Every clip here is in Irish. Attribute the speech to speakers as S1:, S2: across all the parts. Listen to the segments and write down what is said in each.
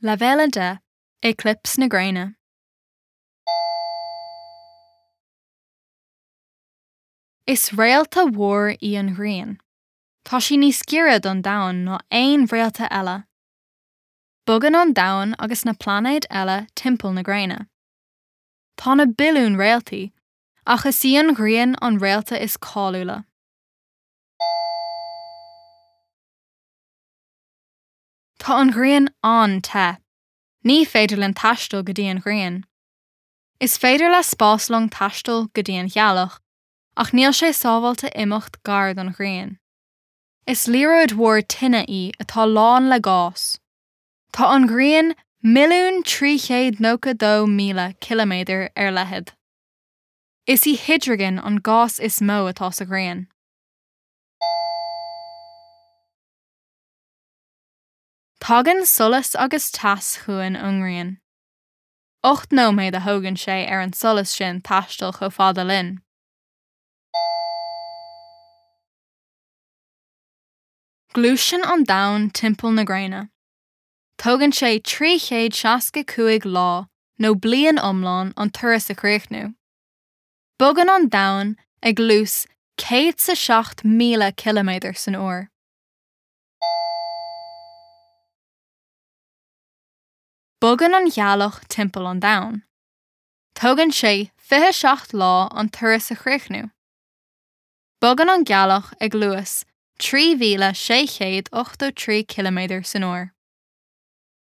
S1: Leibhéal 10, Éicliops na Gréine. Is réalta mhór í an Ghrian. Tá sí níos giorra don Domhan ná aon réalta eile. Bogann an Domhan agus na pláinéid eile timpeall na Gréine. Tá na billiúin réaltaí, ach is í an Ghrian an réalta is cáiliúla. Tá an Ghrian an-te. Ní féidir linn taisteal go dtí an Ghrian. Is féidir le spáslong taisteal go dtí an Ghealach, ach níl sé sábháilte imeacht gar don Ghrian. Is liathróid mhór tine í atá lán le gás. Tá an Ghrian 1,392,000 ciliméadar ar leithead. Is í hidrigin an gás is mó atá sa Ghrian. Tagann solas agus teas chugainn ón nGrian. 8 nóiméad a thógann sé ar an solas sin taisteal chomh fada linn. Gluaiseann an Domhan timpeall na Gréine. Tógann sé 365 lá nó bliain iomlán an turas a chríochnú. Bogann an Domhan ag luas 107,000 ciliméadar san uair. Bogann an Ghealach timpeall an Domhain. Tógann sé 27 lá an turas a chríochnú. Bogann an Ghealach ag luas 3,683 ciliméadar san uair.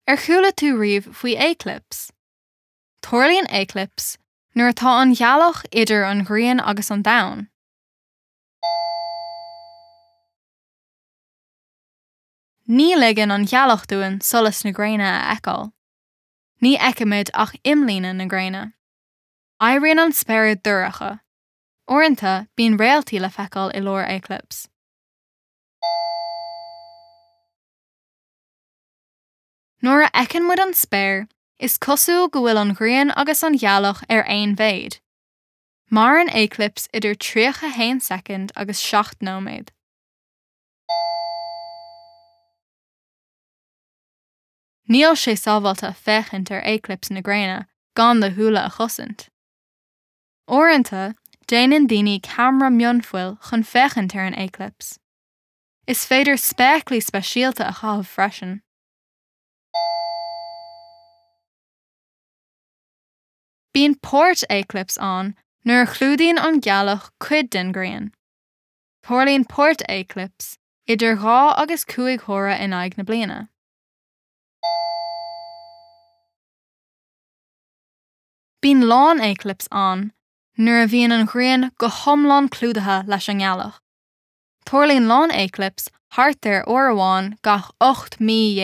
S1: Ar chuala tú riamh faoi éiclips? Tarlaíonn éiclips nuair atá an Ghealach idir an Ghrian agus an Domhan. Ní ligeann an ghealach dúinn solas na gréine a fheiceáil. Ní fheicimid ach imlíne na gréine. Éiríonn an spéir dorcha. Uaireanta, bíonn réaltaí le feiceáil i lár éiclips. Nuair a fheiceann muid an spéir, is cosúil go bhfuil an ghrian agus an ghealach ar aon mhéid. Maireann éiclips idir 31 soicind agus 7 nóiméad. Níl sé sábháilte féachaint ar éiclips na gréine gan do shúile a chosaint. Uaireanta, déanann daoine ceamara mionphoill chun féachaint ar an éiclips. Is féidir spéaclaí speisialta a chaitheamh freisin. Bíonn páirt-éiclips ann nuair a chlúdaíonn an ghealach cuid den ghrian. Tarlaíonn páirt-éiclips idir 2 agus 5 huaire in aghaidh na bliana. Bíonn lán-éiclips ann nuair a bhíonn an ghrian go hiomlán clúdaithe leis an ngealach. Tarlaíonn lán-éiclips thart ar uair amháin gach 18 mí.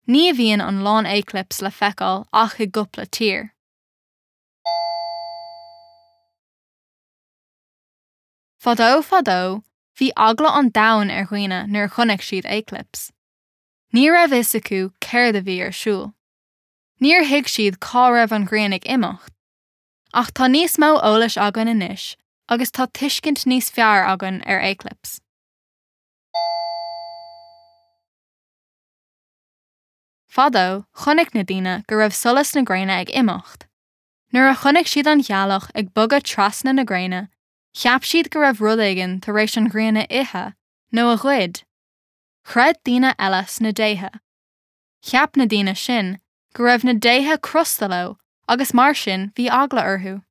S1: Ní bhíonn an lán-éiclips le feiceáil ach i gcúpla tír. Fadó fadó, bhí eagla an domhain ar dhaoine nuair a chonaic siad éiclips. Ní raibh fhios acu céard a bhí ar siúl. Níor thuig siad cá raibh an ghrian ag imeacht. Ach tá níos mó eolais againn anois agus tá tuiscint níos fearr againn ar éiclips. Fadó, chonaic na daoine go raibh solas na gréine ag imeacht. Nuair a chonaic siad an ghealach ag bogadh trasna na gréine, cheap siad go raibh rud éigin tar éis an ghrian a ithe nó a ghoid. Chreid daoine eile sna déithe. Cheap na daoine sin go raibh na déithe crosta leo agus mar sin bhí eagla orthu.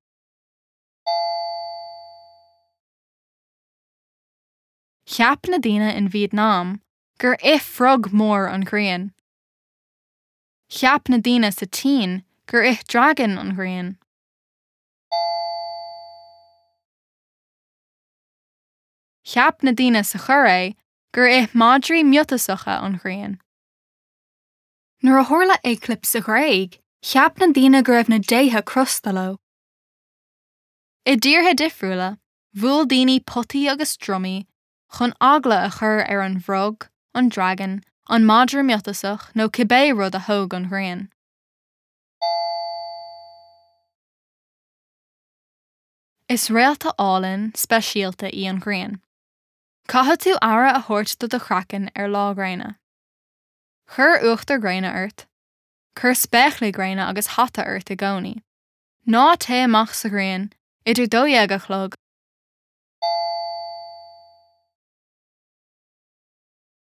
S1: Cheap na daoine in Vietnam gur ith frog mór an ghrian. Cheap na daoine sa tSín gur ith dragan an ghrian. Cheap na daoine sa Choiré gur ith madraí miotasacha an ghrian. Nuair a tharla éiclips sa Ghréig, cheap na daoine go raibh na déithe crosta leo. I dtíortha difriúla, bhuail daoine potaí agus drumaí chun eagla a chur ar an bhfrog, an dragan, an madra miotasach nó cibé rud a thóg an ghrian. Is réalta álainn, speisialta í an ghrian. Caithfidh tú aire a thabhairt do do chraiceann ar lá gréine. Cuir uachtar gréine ort. Cuir spéaclaí gréine agus hata ort i gcónaí. Ná téigh amach sa ghrian idir 12 a chlog.